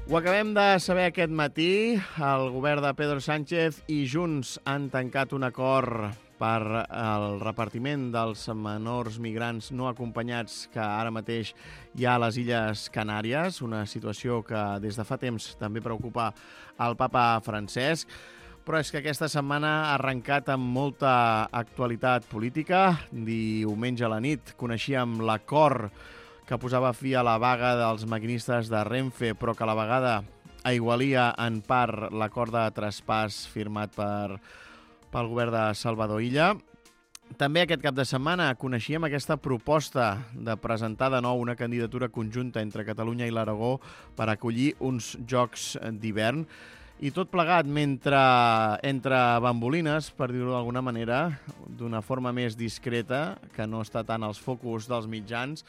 Ho acabem de saber aquest matí. El govern de Pedro Sánchez i Junts han tancat un acord per al repartiment dels menors migrants no acompanyats que ara mateix hi ha a les Illes Canàries, una situació que des de fa temps també preocupa el papa Francesc. Però és que aquesta setmana ha arrencat amb molta actualitat política. Diumenge a la nit coneixíem l'acord que posava fi a la vaga dels maquinistes de Renfe, però que a la vegada aigualia en part l'acord de traspàs firmat pel govern de Salvador Illa. També aquest cap de setmana coneixíem aquesta proposta de presentar de nou una candidatura conjunta entre Catalunya i l'Aragó per acollir uns Jocs d'hivern. I tot plegat entre bambolines, per dir-ho d'alguna manera, d'una forma més discreta, que no està tant als focus dels mitjans.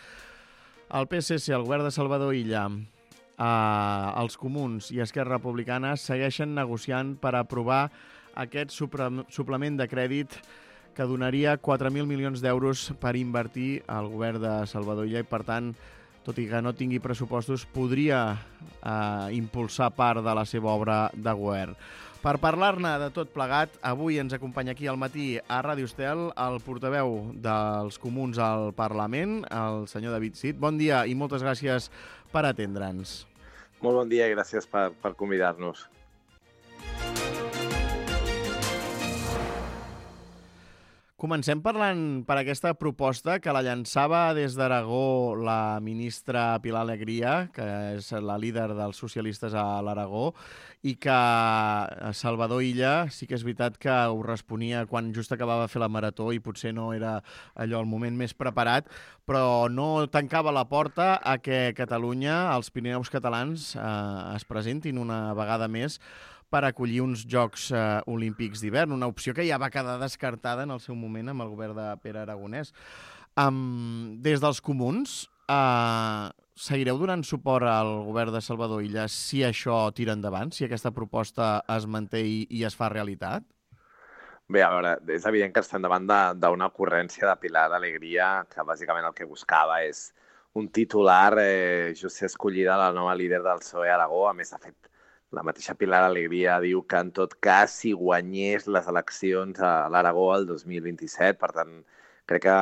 El PSC, el govern de Salvador Illa, els Comuns i Esquerra Republicana segueixen negociant per aprovar aquest suplement de crèdit que donaria 4.000 milions d'euros per invertir al govern de Salvador Illa i, per tant, tot i que no tingui pressupostos, podria impulsar part de la seva obra de govern. Per parlar-ne de tot plegat, avui ens acompanya aquí al matí a Ràdio Estel el portaveu dels Comuns al Parlament, el senyor David Cid. Bon dia i moltes gràcies per atendre'ns. Molt bon dia i gràcies per convidar-nos. Comencem parlant per aquesta proposta que la llançava des d'Aragó la ministra Pilar Alegría, que és la líder dels socialistes a l'Aragó, i que Salvador Illa sí que és veritat que ho responia quan just acabava de fer la marató i potser no era allò el moment més preparat, però no tancava la porta a que Catalunya, els Pirineus catalans, es presentin una vegada més per acollir uns Jocs Olímpics d'hivern, una opció que ja va quedar descartada en el seu moment amb el govern de Pere Aragonès. Des dels Comuns, seguireu donant suport al govern de Salvador Illa si això tira endavant, si aquesta proposta es manté i es fa realitat? Bé, a veure, és evident que estem davant d'una ocurrència de Pilar Alegría que bàsicament el que buscava és un titular just ser escollida la nova líder del PSOE a Aragó. A més, de fet, la mateixa Pilar Alegría diu que, en tot cas, si guanyés les eleccions a l'Aragó el 2027, per tant, crec que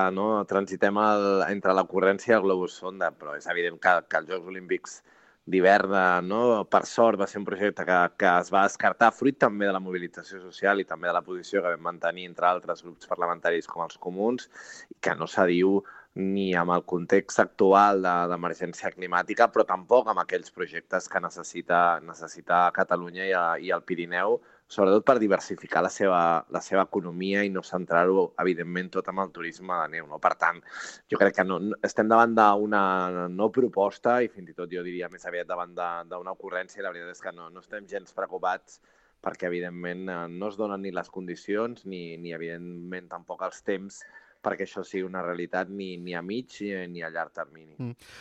transitem entre l'ocurrència i el globus sonda, però és evident que els Jocs Olímpics d'hivern, per sort, va ser un projecte que es va descartar, fruit també de la mobilització social i també de la posició que vam mantenir entre altres grups parlamentaris com els Comuns, i que no s'adiu ni amb el context actual d'emergència climàtica, però tampoc amb aquells projectes que necessita Catalunya i el Pirineu, sobretot per diversificar la seva economia i no centrar-ho, evidentment, tot amb el turisme de neu. Per tant, jo crec que estem davant d'una no proposta i fins i tot jo diria més aviat davant d'una ocurrència, i la veritat és que no estem gens preocupats perquè, evidentment, no es donen ni les condicions ni evidentment, tampoc els temps perquè això sigui una realitat ni a mig ni a llarg termini.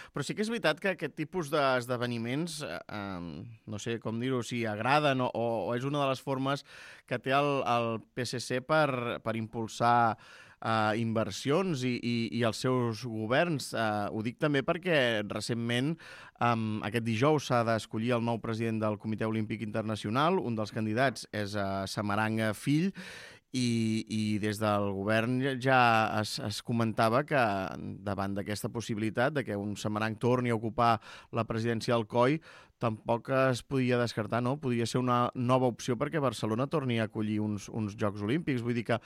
Però sí que és veritat que aquest tipus d'esdeveniments, no sé com dir-ho, si agraden o és una de les formes que té el PSC per impulsar inversions i els seus governs. Ho dic també perquè recentment, aquest dijous, s'ha d'escollir el nou president del Comitè Olímpic Internacional. Un dels candidats és Samaranch Fill, i des del govern ja es comentava que davant d'aquesta possibilitat de que un Samaranch torni a ocupar la presidència del COI tampoc es podia descartar, no? Podria ser una nova opció perquè Barcelona torni a acollir uns Jocs Olímpics. Vull dir que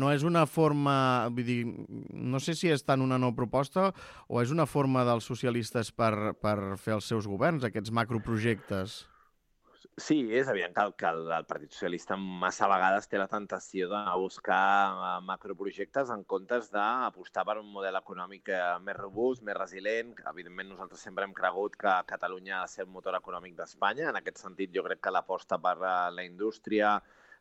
no és una forma... Vull dir, no sé si és tant una nova proposta o és una forma dels socialistes per fer els seus governs, aquests macroprojectes. Sí, és evident que el Partit Socialista massa vegades té la tentació de buscar macroprojectes en comptes d'apostar per un model econòmic més robust, més resilient. Evidentment, nosaltres sempre hem cregut que Catalunya ha de ser el motor econòmic d'Espanya. En aquest sentit, jo crec que l'aposta per la indústria,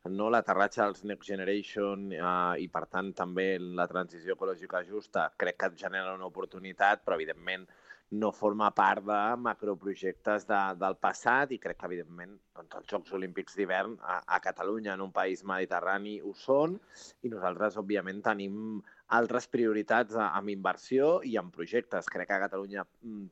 l'aterratge dels Next Generation i, per tant, també la transició ecològica justa, crec que et genera una oportunitat, però, evidentment, no forma part de macroprojectes del passat i crec que, evidentment, els Jocs Olímpics d'hivern a Catalunya, en un país mediterrani, ho són, i nosaltres, òbviament, tenim altres prioritats amb inversió i en projectes. Crec que Catalunya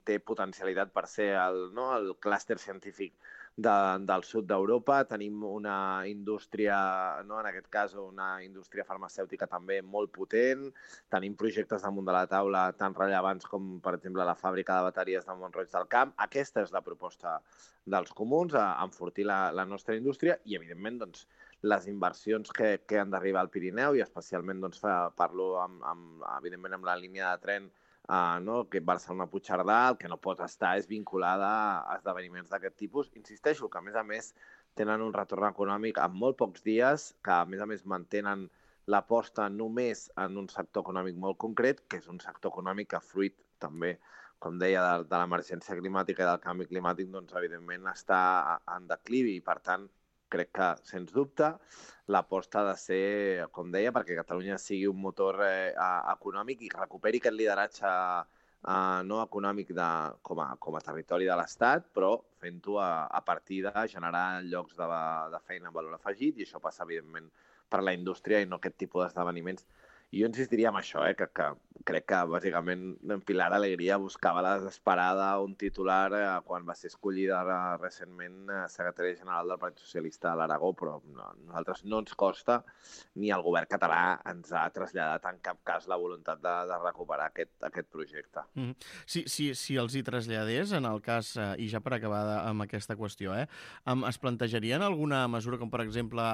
té potencialitat per ser el clúster científic del sud d'Europa. Tenim una indústria, en aquest cas una indústria farmacèutica també molt potent. Tenim projectes damunt de la taula tan rellevants com, per exemple, la fàbrica de bateries de Mont-roig del Camp. Aquesta és la proposta dels comuns, enfortir la nostra indústria i, evidentment, doncs, les inversions que han d'arribar al Pirineu i especialment parlo evidentment amb la línia de tren que Barcelona-Puigcerdà, el que no pot estar és vinculada a esdeveniments d'aquest tipus. Insisteixo que, a més, tenen un retorn econòmic en molt pocs dies, que, a més, mantenen l'aposta només en un sector econòmic molt concret, que és un sector econòmic que, fruit també, com deia, de l'emergència climàtica i del canvi climàtic, doncs, evidentment, està en declivi i, per tant, crec que, sens dubte, l'aposta ha de ser, com deia, perquè Catalunya sigui un motor econòmic i recuperi aquest lideratge no econòmic com a territori de l'Estat, però fent-ho a partir de generar llocs de feina amb valor afegit, i això passa, evidentment, per la indústria i no aquest tipus d'esdeveniments. I jo insistiria en això, que crec que, bàsicament, Pilar Alegría buscava la desesperada un titular quan va ser escollida recentment secretària general del Partit Socialista de l'Aragó, però a nosaltres no ens costa, ni el govern català ens ha traslladat en cap cas la voluntat de recuperar aquest projecte. Si els hi traslladés, en el cas, i ja per acabar amb aquesta qüestió, es plantejarien alguna mesura, com per exemple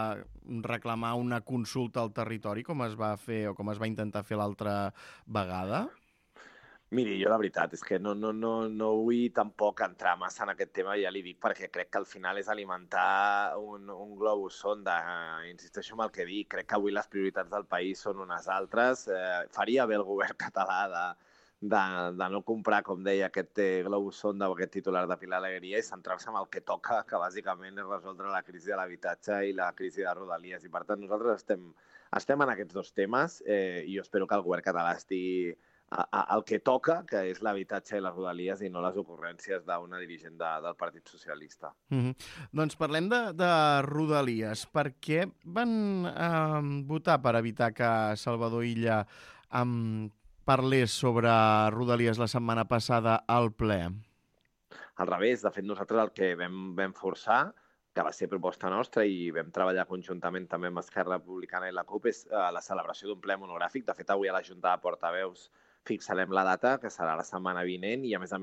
reclamar una consulta al territori, com es va fer o com es va intentar fer l'altra vegada? Miri, jo la veritat és que no vull tampoc entrar massa en aquest tema, ja li dic, perquè crec que al final és alimentar un globus sonda. Insisteixo en el que dic, crec que avui les prioritats del país són unes altres. Faria bé el govern català de no comprar, com deia, aquest globus sonda o aquest titular de Pilar Alegría i centrar-se en el que toca, que bàsicament és resoldre la crisi de l'habitatge i la crisi de Rodalies. I, per tant, nosaltres estem en aquests dos temes i jo espero que el govern català estigui el que toca, que és l'habitatge i les Rodalies i no les ocurrències d'una dirigent del Partit Socialista. Doncs parlem de Rodalies. Per què van votar per evitar que Salvador Illa parlés sobre Rodalies la setmana passada al ple? Al revés, de fet, nosaltres el que vam forçar, que va ser proposta nostra i vam treballar conjuntament també amb Esquerra Republicana i la CUP, és la celebració d'un ple monogràfic. De fet, avui a la Junta de Portaveus fixarem la data, que serà la setmana vinent, i a més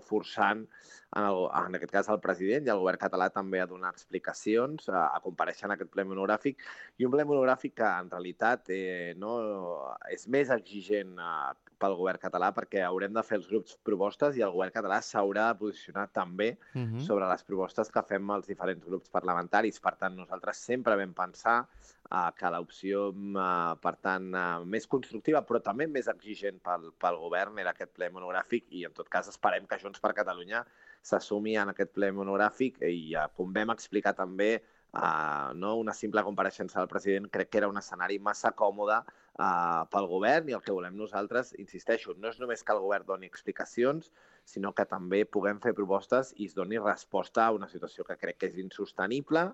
forçant, en aquest cas, el president i el govern català també a donar explicacions, a comparèixer en aquest ple monogràfic, i un ple monogràfic que en realitat és més exigent pel govern català perquè haurem de fer els grups propostes i el govern català s'haurà de posicionar també sobre les propostes que fem els diferents grups parlamentaris. Per tant, nosaltres sempre vam pensar que l'opció, per tant, més constructiva, però també més exigent pel govern era aquest ple monogràfic i, en tot cas, esperem que Junts per Catalunya s'assumi en aquest ple monogràfic i, com vam explicar també, una simple compareixença del president crec que era un escenari massa còmode pel govern i el que volem nosaltres, insisteixo, no és només que el govern doni explicacions, sinó que també puguem fer propostes i es doni resposta a una situació que crec que és insostenible,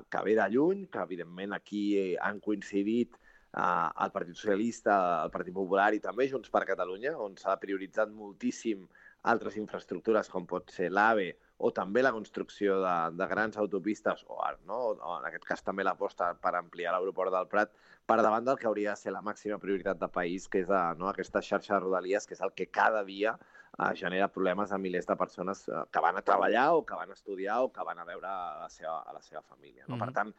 que ve de lluny, que evidentment aquí han coincidit el Partit Socialista, el Partit Popular i també Junts per Catalunya, on s'ha prioritzat moltíssim altres infraestructures com pot ser l'AVE o també la construcció de grans autopistes o en aquest cas també l'aposta per ampliar l'aeroport del Prat per davant del que hauria de ser la màxima prioritat de país, que és aquesta xarxa de Rodalies, que és el que cada dia genera problemes a milers de persones que van a treballar o que van a estudiar o que van a veure a la seva família. Per tant,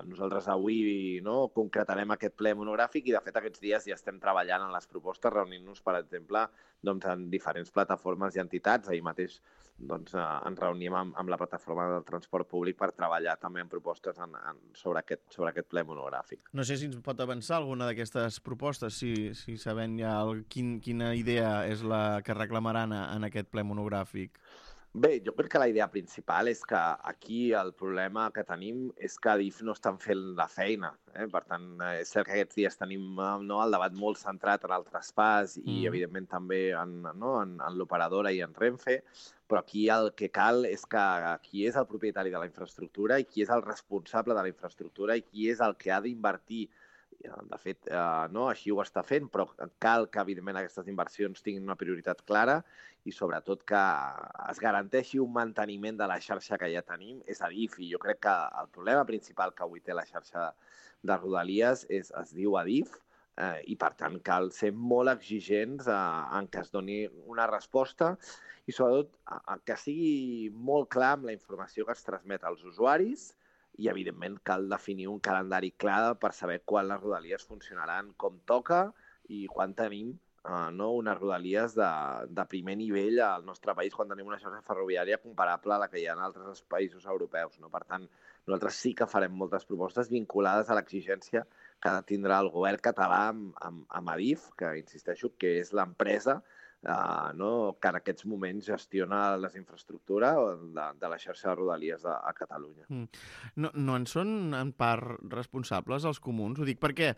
nosaltres avui concretarem aquest ple monogràfic i, de fet, aquests dies ja estem treballant en les propostes, reunint-nos, per exemple, en diferents plataformes i entitats. Ahir mateix ens reunim amb la plataforma del transport públic per treballar també en propostes sobre aquest ple monogràfic. No sé si ens pot avançar alguna d'aquestes propostes, si sabem ja quina idea és la que reclamaran en aquest ple monogràfic. Bé, jo crec que la idea principal és que aquí el problema que tenim és que Adif no estan fent la feina. Per tant, és cert que aquests dies tenim el debat molt centrat en el traspàs i, evidentment, també en l'operadora i en Renfe, però aquí el que cal és que qui és el propietari de la infraestructura i qui és el responsable de la infraestructura i qui és el que ha d'invertir de fet, no, així ho està fent, però cal que, evidentment, aquestes inversions tinguin una prioritat clara i, sobretot, que es garanteixi un manteniment de la xarxa que ja tenim. És Adif, i jo crec que el problema principal que avui té la xarxa de Rodalies es diu Adif, i, per tant, cal ser molt exigents en que es doni una resposta i, sobretot, que sigui molt clar amb la informació que es transmet als usuaris i, evidentment, cal definir un calendari clar per saber quan les rodalies funcionaran com toca i quan tenim unes rodalies de primer nivell al nostre país, quan tenim una xarxa ferroviària comparable a la que hi ha en altres països europeus. No? Per tant, nosaltres sí que farem moltes propostes vinculades a l'exigència que tindrà el govern català amb Adif, que insisteixo que és l'empresa que en aquests moments gestiona les infraestructures de la xarxa de rodalies a Catalunya. No en són en part responsables els comuns? Ho dic perquè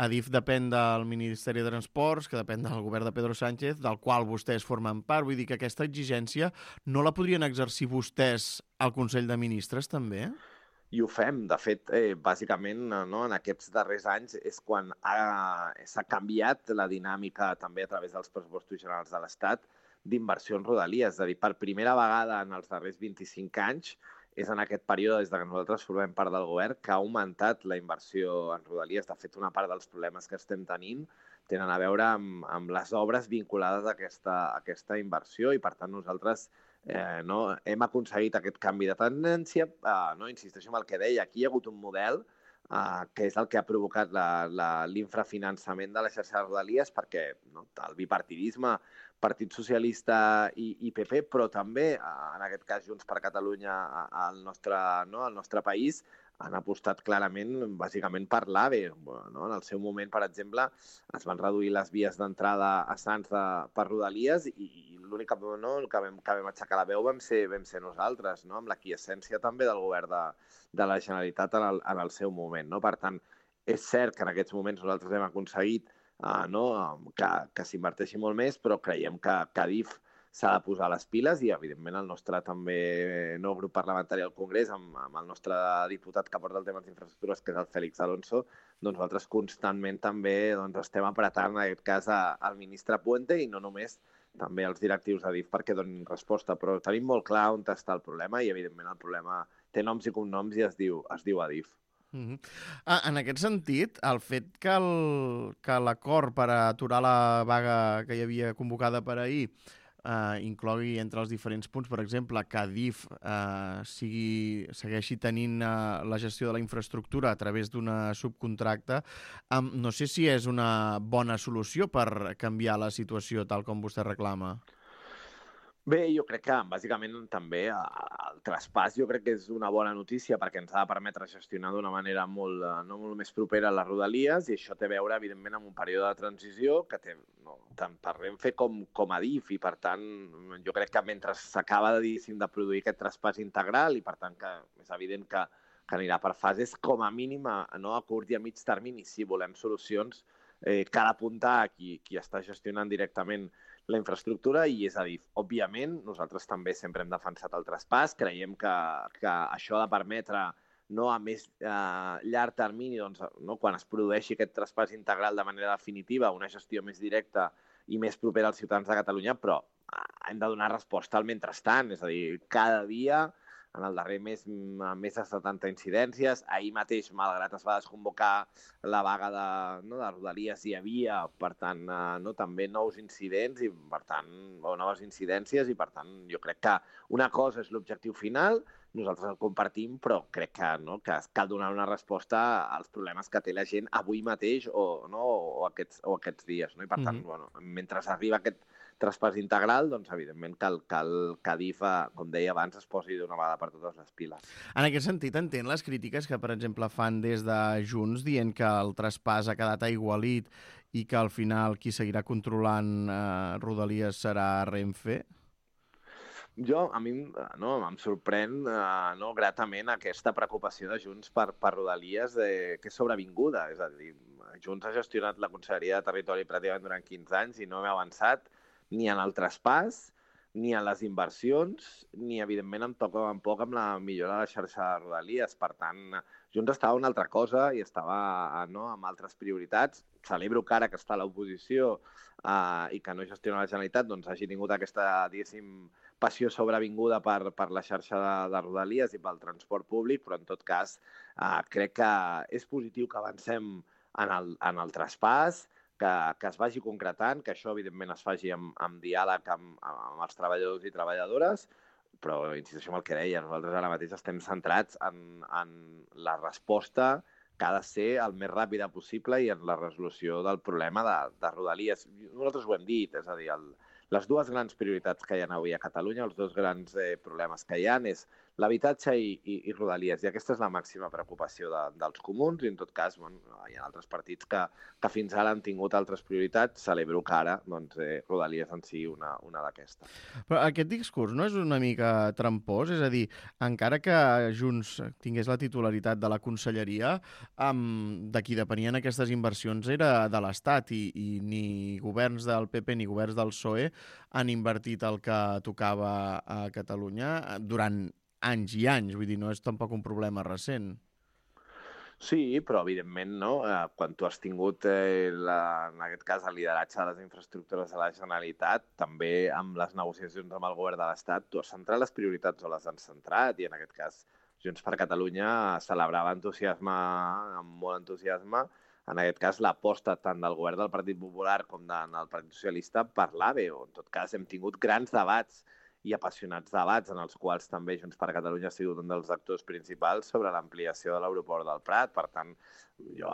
Adif depèn del Ministeri de Transports, que depèn del govern de Pedro Sánchez, del qual vostès formen part. Vull dir que aquesta exigència no la podrien exercir vostès al Consell de Ministres, també? I ho fem. De fet, bàsicament, en aquests darrers anys és quan s'ha canviat la dinàmica també a través dels pressupostos generals de l'Estat d'inversió en rodalies. És a dir, per primera vegada en els darrers 25 anys és en aquest període, des que nosaltres formem part del govern, que ha augmentat la inversió en rodalies. De fet, una part dels problemes que estem tenint tenen a veure amb les obres vinculades a aquesta inversió i, per tant, nosaltres hem aconseguit aquest canvi de tendència. Insisteixo en el que deia, aquí hi ha hagut un model que és el que ha provocat l'infrafinançament de la xarxa de rodalies, perquè el bipartidisme, Partit Socialista i PP, però també, en aquest cas, Junts per Catalunya al nostre país, han apostat clarament, bàsicament, per l'AVE. En el seu moment, per exemple, es van reduir les vies d'entrada a Sants per rodalies i l'únic que vam aixecar la veu vam ser nosaltres, amb l'aquiescència també del govern de la Generalitat en el seu moment. Per tant, és cert que en aquests moments nosaltres hem aconseguit que s'inverteixi molt més, però creiem que Adif s'ha de posar les piles i, evidentment, el nostre també grup parlamentari al Congrés, amb el nostre diputat que porta el tema d'infraestructures, que és el Félix Alonso, doncs nosaltres constantment també estem apretant, en aquest cas, al ministre Puente i no només també als directius d'Adif perquè donin resposta. Però tenim molt clar on està el problema i, evidentment, el problema té noms i cognoms i es diu Adif. En aquest sentit, el fet que l'acord per aturar la vaga que hi havia convocada per ahir inclogui entre els diferents punts, per exemple, que Adif segueixi tenint la gestió de la infraestructura a través d'una subcontracta, no sé si és una bona solució per canviar la situació tal com vostè reclama. Bé, jo crec que, bàsicament, també el traspàs jo crec que és una bona notícia perquè ens ha de permetre gestionar d'una manera molt més propera a les rodalies i això té a veure, evidentment, amb un període de transició que té tant per Renfe com Adif i, per tant, jo crec que mentre s'acaba de produir aquest traspàs integral i, per tant, que és evident que anirà per fases, com a mínim, a curt i a mig termini, si volem solucions, cal apuntar a qui està gestionant directament la infraestructura i és Adif. Òbviament, nosaltres també sempre hem defensat el traspàs, creiem que això ha de permetre a més llarg termini, quan es produeixi aquest traspàs integral de manera definitiva, una gestió més directa i més propera als ciutadans de Catalunya, però hem de donar resposta al mentrestant, és a dir, cada dia en el darrer mes, més de 70 incidències. Ahir mateix, malgrat es va desconvocar la vaga de Rodalies, hi havia, per tant, també nous incidents i, per tant, noves incidències i, per tant, jo crec que una cosa és l'objectiu final, nosaltres el compartim, però crec que cal donar una resposta als problemes que té la gent avui mateix o aquests dies. I, per tant, mentre arriba aquest traspàs integral, doncs, evidentment, cal que Adif, com deia abans, es posi d'una vegada per totes les piles. En aquest sentit, entén les crítiques que, per exemple, fan des de Junts dient que el traspàs ha quedat aigualit i que al final qui seguirà controlant Rodalies serà Renfe? A mi em sorprèn gratament aquesta preocupació de Junts per Rodalies que és sobrevinguda. És a dir, Junts ha gestionat la Conselleria de Territori pràcticament durant 15 anys i no hem avançat ni en el traspàs ni a les inversions, ni, evidentment, em toca un poc amb la millora de la xarxa de Rodalies. Per tant, Junts estava una altra cosa i estava amb altres prioritats. Celebro que ara que està a l'oposició i que no gestiona la Generalitat, doncs hagi tingut aquesta, diguéssim, passió sobrevinguda per la xarxa de Rodalies i pel transport públic, però en tot cas crec que és positiu que avancem en el traspàs, que es vagi concretant, que això, evidentment, es faci amb diàleg amb els treballadors i treballadores, però insisteixo en el que deia, nosaltres ara mateix estem centrats en la resposta que ha de ser el més ràpida possible i en la resolució del problema de Rodalies. Nosaltres ho hem dit, és a dir, les dues grans prioritats que hi ha avui a Catalunya, els dos grans problemes que hi ha, és l'habitatge i Rodalies. I aquesta és la màxima preocupació dels comuns i, en tot cas, hi ha altres partits que fins ara han tingut altres prioritats. Celebro que ara Rodalies en sigui una d'aquestes. Però aquest discurs no és una mica trampós? És a dir, encara que Junts tingués la titularitat de la conselleria, de qui depenien aquestes inversions era de l'Estat i ni governs del PP ni governs del PSOE han invertit el que tocava a Catalunya durant anys i anys. Vull dir, no és tampoc un problema recent. Sí, però evidentment, no? Quan tu has tingut, en aquest cas, el lideratge de les infraestructures de la Generalitat, també amb les negociacions amb el govern de l'Estat, tu has centrat les prioritats o les has centrat, i en aquest cas Junts per Catalunya celebrava amb molt entusiasme, en aquest cas, l'aposta tant del govern del Partit Popular com del Partit Socialista per l'AVE, o en tot cas hem tingut grans debats i apassionats debats en els quals també Junts per Catalunya ha sigut un dels actors principals sobre l'ampliació de l'aeroport del Prat. Per tant,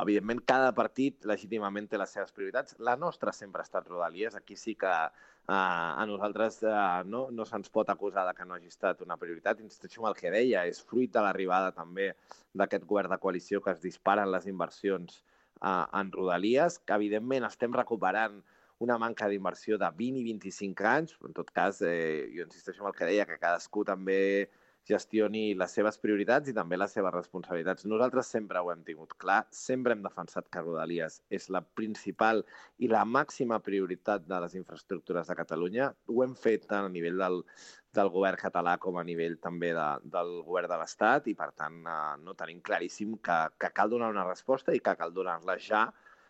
evidentment, cada partit legítimament té les seves prioritats. La nostra sempre ha estat Rodalies. Aquí sí que a nosaltres no se'ns pot acusar de que no hagi estat una prioritat. Insisteixo en el que deia, és fruit de l'arribada també d'aquest govern de coalició que es disparen les inversions en Rodalies, que evidentment estem recuperant una manca d'inversió de 20 i 25 anys, però en tot cas, jo insisteixo en el que deia, que cadascú també gestioni les seves prioritats i també les seves responsabilitats. Nosaltres sempre ho hem tingut clar, sempre hem defensat que Rodalies és la principal i la màxima prioritat de les infraestructures de Catalunya. Ho hem fet tant a nivell del govern català com a nivell també del govern de l'Estat i, per tant, no tenim claríssim que cal donar una resposta i que cal donar-la ja,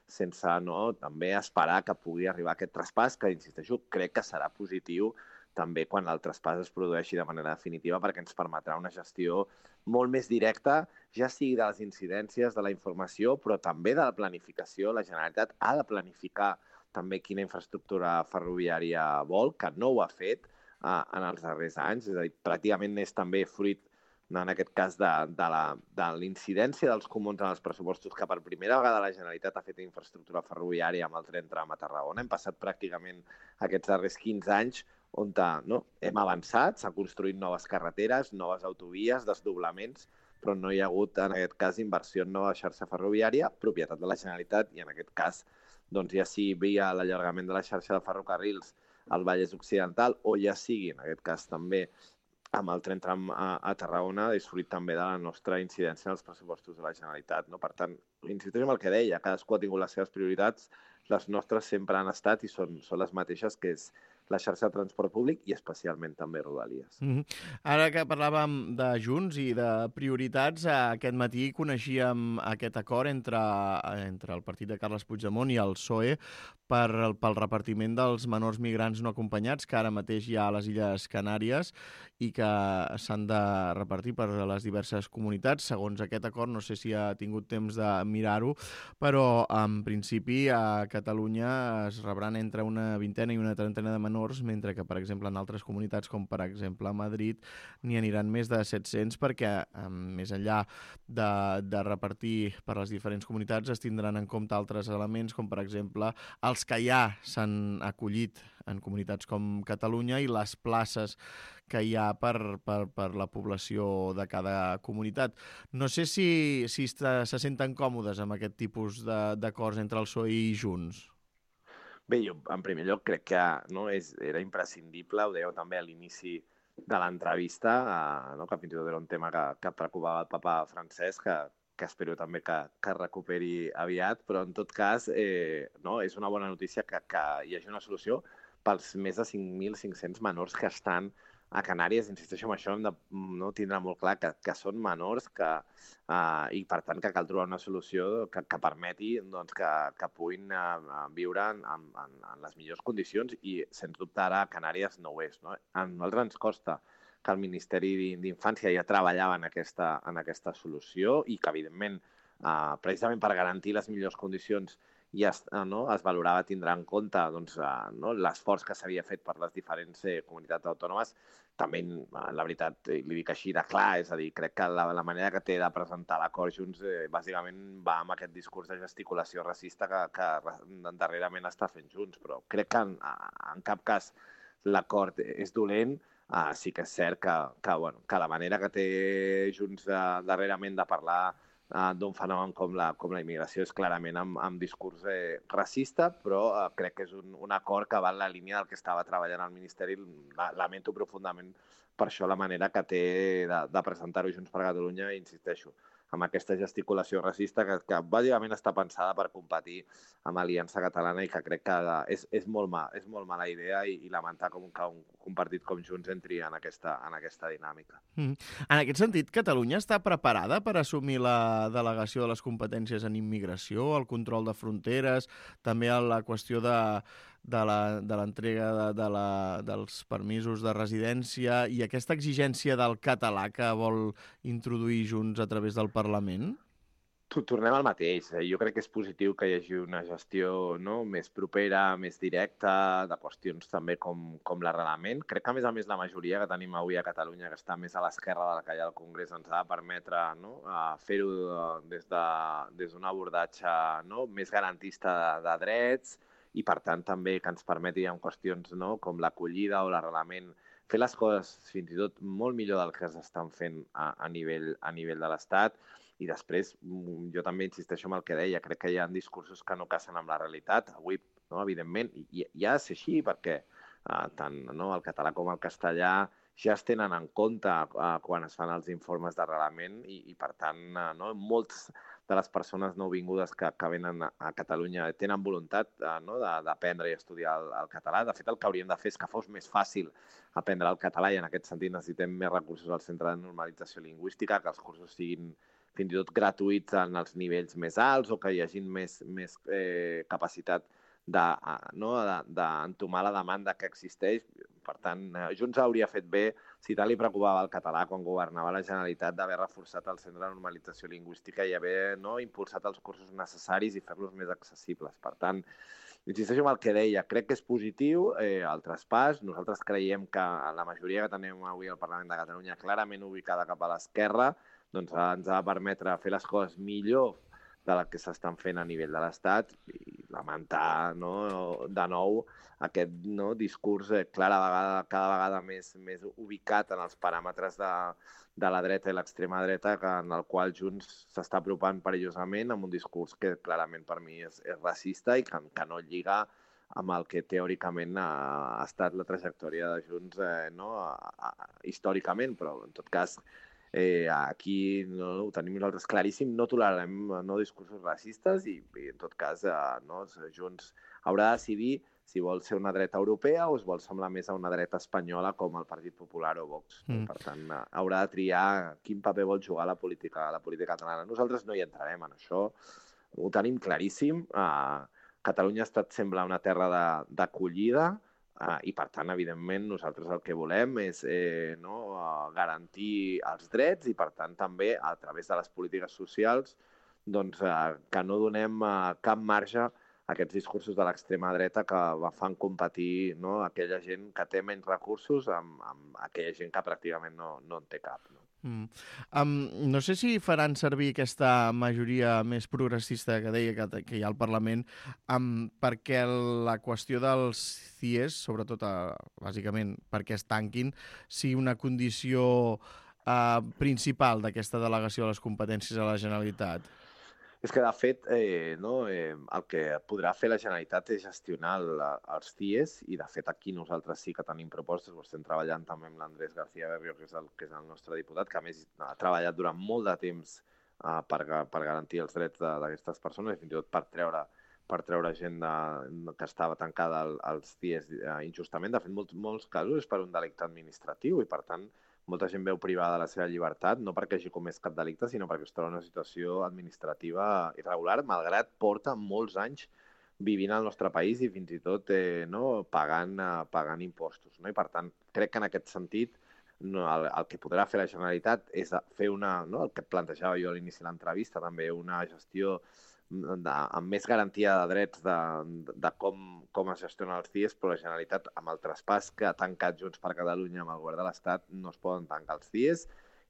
sense també esperar que pugui arribar aquest traspàs, que, insisteixo, crec que serà positiu també quan el traspàs es produeixi de manera definitiva, perquè ens permetrà una gestió molt més directa, ja sigui de les incidències, de la informació, però també de la planificació. La Generalitat ha de planificar també quina infraestructura ferroviària vol, que no ho ha fet en els darrers anys. És a dir, pràcticament és també fruit en aquest cas de l'incidència dels comuns en els pressupostos, que per primera vegada la Generalitat ha fet infraestructura ferroviària amb el tren tram a Tarragona. Hem passat pràcticament aquests darrers 15 anys on hem avançat, s'han construït noves carreteres, noves autovies, desdoblaments, però no hi ha hagut, en aquest cas, inversió en nova xarxa ferroviària, propietat de la Generalitat, i en aquest cas, ja sigui via l'allargament de la xarxa de ferrocarrils al Vallès Occidental, o ja sigui, en aquest cas, també amb el tren tram a Tarragona, és fruit també de la nostra incidència en els pressupostos de la Generalitat. Per tant, insisteixo en el que deia, cadascú ha tingut les seves prioritats, les nostres sempre han estat i són les mateixes, que és la xarxa de transport públic i especialment també Rodalies. Ara que parlàvem de Junts i de prioritats, aquest matí coneixíem aquest acord entre el partit de Carles Puigdemont i el PSOE pel repartiment dels menors migrants no acompanyats que ara mateix hi ha a les Illes Canàries i que s'han de repartir per les diverses comunitats. Segons aquest acord, no sé si ha tingut temps de mirar-ho, però en principi a Catalunya es rebran entre una vintena i una trentena de menors, mentre que, per exemple, en altres comunitats, com per exemple a Madrid, n'hi aniran més de 700 perquè, més enllà de repartir per les diferents comunitats, es tindran en compte altres elements, com per exemple els que ja s'han acollit en comunitats com Catalunya i les places que hi ha per la població de cada comunitat. No sé si se senten còmodes amb aquest tipus d'acords entre el PSOE i Junts. Bé, jo, en primer lloc, crec que era imprescindible, ho dèieu també a l'inici de l'entrevista, que fins i tot era un tema que preocupava el papa Francesc, que espero també que recuperi aviat, però en tot cas és una bona notícia que hi hagi una solució pels més de 5.500 menors que estan a Canàries. Insisteixo en això, hem de tindre molt clar que són menors i, per tant, que cal trobar una solució que permeti doncs, que puguin viure en les millors condicions i, sens dubte, ara a Canàries no ho és. No? A nosaltres ens costa que el Ministeri d'Infància ja treballava en aquesta solució i que, evidentment, precisament per garantir les millors condicions es valorava tindrà en compte l'esforç que s'havia fet per les diferents comunitats autònomes. També, la veritat, li dic així de clar, és a dir, crec que la manera que té de presentar l'acord Junts bàsicament va amb aquest discurs de gesticulació racista que darrerament està fent Junts, però crec que en cap cas l'acord és dolent. Sí que és cert que la manera que té Junts darrerament de parlar d'un fenomen com la immigració és clarament amb discurs racista, però crec que és un acord que va en la línia del que estava treballant el Ministeri. Lamento profundament per això la manera que té de presentar-ho Junts per Catalunya, i insisteixo, amb aquesta gesticulació racista que bàsicament està pensada per competir amb Aliança Catalana i que crec que és molt mala idea i lamentar que un partit com Junts entri en aquesta dinàmica. En aquest sentit, Catalunya està preparada per assumir la delegació de les competències en immigració, el control de fronteres, també la qüestió de l'entrega dels permisos de residència i aquesta exigència del català que vol introduir Junts a través del Parlament? Tornem al mateix. Jo crec que és positiu que hi hagi una gestió més propera, més directa, de qüestions també com l'arrelament. Crec que, a més, la majoria que tenim avui a Catalunya, que està més a l'esquerra del que hi ha al Congrés, ens ha de permetre fer-ho des d'un abordatge més garantista de drets i, per tant, també que ens permeti en qüestions com l'acollida o l'arrelament fer les coses fins i tot molt millor del que s'estan fent a nivell de l'Estat. I després, jo també insisteixo en el que deia, crec que hi ha discursos que no casen amb la realitat. Avui, evidentment, i ha de ser així, perquè tant el català com el castellà ja es tenen en compte quan es fan els informes d'arrelament i per tant, moltes de les persones nouvingudes que venen a Catalunya tenen voluntat d'aprendre i estudiar el català. De fet, el que hauríem de fer és que fos més fàcil aprendre el català i en aquest sentit necessitem més recursos al Centre de Normalització Lingüística, que els cursos siguin fins i tot gratuïts en els nivells més alts o que hi hagi més capacitat d'entomar la demanda que existeix. Per tant, Junts hauria fet bé, si tant li preocupava el català quan governava la Generalitat, d'haver reforçat el Centre de Normalització Lingüística i haver impulsat els cursos necessaris i fer-los més accessibles. Per tant, insisteixo en el que deia, crec que és positiu el traspàs. Nosaltres creiem que la majoria que tenim avui al Parlament de Catalunya clarament ubicada cap a l'esquerra, doncs ens ha de permetre fer les coses millor de la que s'estan fent a nivell de l'Estat i lamentar de nou aquest discurs cada vegada més ubicat en els paràmetres de la dreta i l'extrema dreta, en el qual Junts s'està apropant perillosament amb un discurs que clarament per mi és racista i que no lliga amb el que teòricament ha estat la trajectòria de Junts històricament, però en tot cas aquí ho tenim nosaltres claríssim, no tolerarem discursos racistes i en tot cas Junts haurà de decidir si vol ser una dreta europea o es vol semblar més a una dreta espanyola com el Partit Popular o Vox. Per tant, haurà de triar quin paper vol jugar la política catalana. Nosaltres no hi entrarem en això, ho tenim claríssim. Catalunya ha estat sempre una terra d'acollida, i, per tant, evidentment, nosaltres el que volem és garantir els drets i, per tant, també, a través de les polítiques socials, que no donem cap marge a aquests discursos de l'extrema dreta que fan competir aquella gent que té menys recursos amb aquella gent que pràcticament no en té cap. No sé si faran servir aquesta majoria més progressista que deia que hi ha al Parlament perquè la qüestió dels CIES, sobretot bàsicament perquè es tanquin, sigui una condició principal d'aquesta delegació de les competències a la Generalitat. És que, de fet, el que podrà fer la Generalitat és gestionar els CIES i, de fet, aquí nosaltres sí que tenim propostes, ho estem treballant també amb l'Andrés García Berrio, que és el nostre diputat, que a més ha treballat durant molt de temps per garantir els drets d'aquestes persones i fins i tot per treure per treure gent que estava tancada als CIEs injustament. De fet, molts casos és per un delicte administratiu i, per tant, molta gent veu privada de la seva llibertat, no perquè hagi comès cap delicte, sinó perquè es troba en una situació administrativa irregular, malgrat porta molts anys vivint al nostre país i fins i tot pagant impostos. No? I, per tant, crec que en aquest sentit el que podrà fer la Generalitat és fer el que plantejava jo a l'inici de l'entrevista, també una gestió amb més garantia de drets de com es gestionen els CIEs, però la Generalitat, amb el traspàs que ha tancat Junts per Catalunya amb el govern de l'Estat, no es poden tancar els CIEs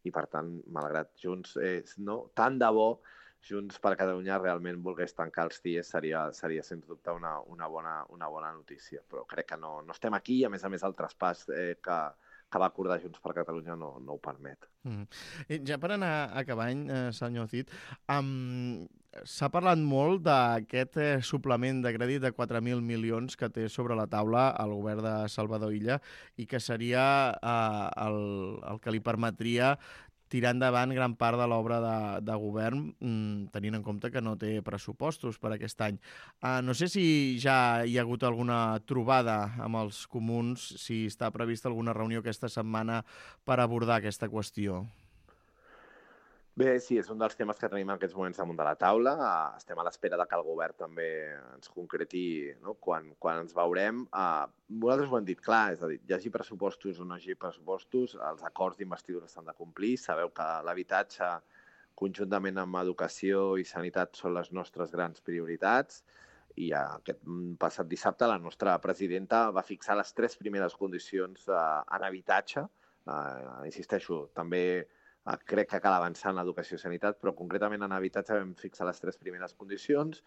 i, per tant, malgrat Junts, tant de bo Junts per Catalunya realment volgués tancar els CIEs, seria sens dubte una bona notícia. Però crec que no estem aquí i, a més, el traspàs que va acordar Junts per Catalunya no ho permet. Ja per anar acabant, senyor Cid, s'ha parlat molt d'aquest suplement de crèdit de 4.000 milions que té sobre la taula el govern de Salvador Illa i que seria el que li permetria tirar endavant gran part de l'obra de govern, tenint en compte que no té pressupostos per aquest any. No sé si ja hi ha hagut alguna trobada amb els comuns, si està prevista alguna reunió aquesta setmana per abordar aquesta qüestió. Bé, sí, és un dels temes que tenim en aquests moments damunt de la taula. Estem a l'espera de que el govern també ens concreti, no? Quan ens veurem. Nosaltres ho hem dit clar, és a dir, hi hagi pressupostos o no hi hagi pressupostos, els acords d'investidura s'han de complir. Sabeu que l'habitatge, conjuntament amb educació i sanitat, són les nostres grans prioritats. I aquest passat dissabte la nostra presidenta va fixar les 3 primeres condicions en habitatge. Insisteixo, també crec que cal avançar en l'educació i sanitat, però concretament en habitatge vam fixar les 3 primeres condicions,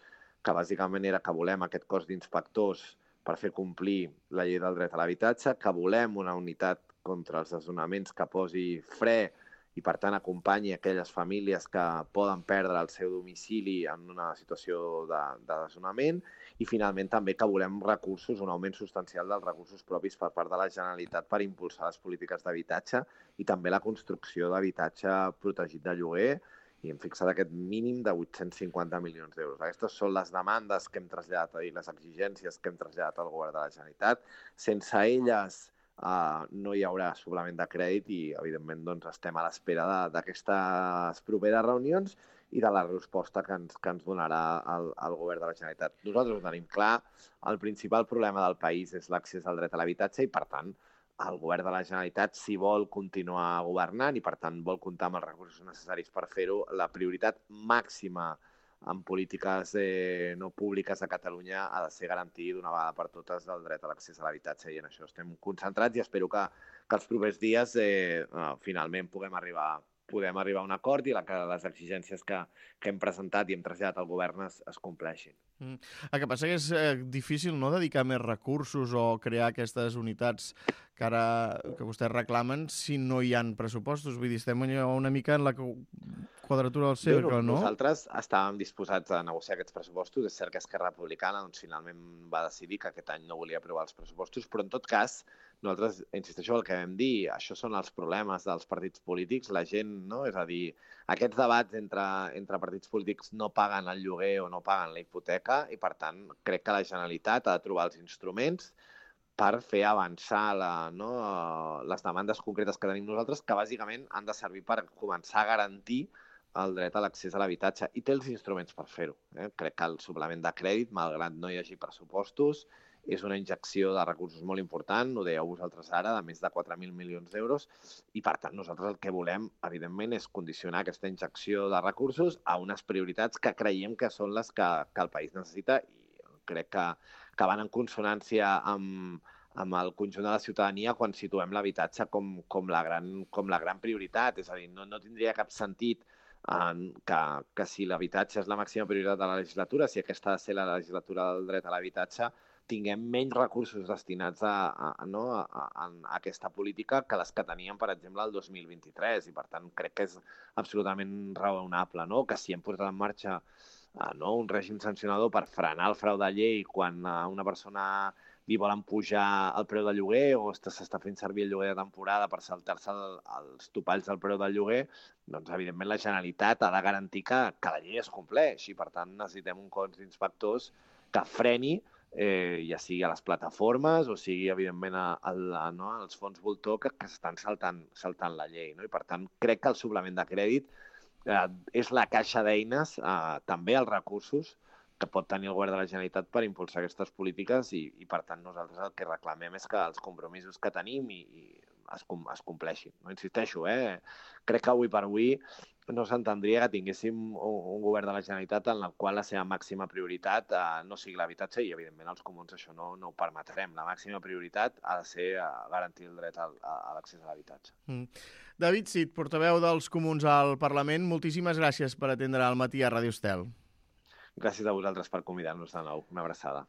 que bàsicament era que volem aquest cos d'inspectors per fer complir la llei del dret a l'habitatge, que volem una unitat contra els desnonaments que posi fre i, per tant, acompanyi aquelles famílies que poden perdre el seu domicili en una situació de desnonament i, finalment, també que volem recursos, un augment substancial dels recursos propis per part de la Generalitat per impulsar les polítiques d'habitatge i també la construcció d'habitatge protegit de lloguer, i hem fixat aquest mínim de 850 milions d'euros. Aquestes són les demandes que hem traslladat i les exigències que hem traslladat al govern de la Generalitat. Sense elles no hi haurà suplement de crèdit i, evidentment, doncs, estem a l'espera d'aquestes properes reunions i de la resposta que ens donarà el govern de la Generalitat. Nosaltres ho tenim clar, el principal problema del país és l'accés al dret a l'habitatge i, per tant, el govern de la Generalitat, si vol continuar governant i, per tant, vol comptar amb els recursos necessaris per fer-ho, la prioritat màxima en polítiques no públiques a Catalunya ha de ser garantir d'una vegada per totes el dret a l'accés a l'habitatge, i en això estem concentrats i espero que els propers dies finalment podem arribar a un acord i que les exigències que hem presentat i hem traslladat al govern es compleixin. El que passa que és difícil, no?, dedicar més recursos o crear aquestes unitats que vostès reclamen si no hi ha pressupostos. Vull dir, estem una mica en la quadratura del cercle, no? Nosaltres estàvem disposats a negociar aquests pressupostos. És cert que Esquerra Republicana finalment va decidir que aquest any no volia aprovar els pressupostos, però en tot cas nosaltres, insisteixo el que vam dir, això són els problemes dels partits polítics, la gent, no? És a dir, aquests debats entre partits polítics no paguen el lloguer o no paguen la hipoteca i, per tant, crec que la Generalitat ha de trobar els instruments per fer avançar les demandes concretes que tenim nosaltres, que bàsicament han de servir per començar a garantir el dret a l'accés a l'habitatge, i té els instruments per fer-ho. Crec que el suplement de crèdit, malgrat no hi hagi pressupostos, és una injecció de recursos molt important, ho dèieu vosaltres ara, de més de 4.000 milions d'euros, i, per tant, nosaltres el que volem, evidentment, és condicionar aquesta injecció de recursos a unes prioritats que creiem que són les que el país necessita, i crec que van en consonància amb el conjunt de la ciutadania quan situem l'habitatge com la gran prioritat. És a dir, no tindria cap sentit que si l'habitatge és la màxima prioritat de la legislatura, si aquesta ha de ser la legislatura del dret a l'habitatge, tinguem menys recursos destinats a aquesta política que les que teníem, per exemple, el 2023. I, per tant, crec que és absolutament raonable, no?, que si hem posat en marxa un règim sancionador per frenar el frau de llei quan a una persona li volen pujar el preu del lloguer o s'està fent servir el lloguer de temporada per saltar-se els topalls del preu del lloguer, doncs, evidentment, la Generalitat ha de garantir que la llei es compleix i, per tant, necessitem un cos d'inspectors que freni, ja sigui a les plataformes o sigui, evidentment, als fons voltor que s'estan saltant la llei. No? I, per tant, crec que el suplement de crèdit és la caixa d'eines, també els recursos que pot tenir el govern de la Generalitat per impulsar aquestes polítiques i per tant, nosaltres el que reclamem és que els compromisos que tenim es compleixin. No insisteixo, crec que avui per avui no s'entendria que tinguéssim un govern de la Generalitat en el qual la seva màxima prioritat no sigui l'habitatge i, evidentment, els comuns això no ho permetrem. La màxima prioritat ha de ser garantir el dret a l'accés a l'habitatge. David Cid, portaveu dels comuns al Parlament, moltíssimes gràcies per atendre al matí a Ràdio Estel. Gràcies a vosaltres per convidar-nos de nou. Una abraçada.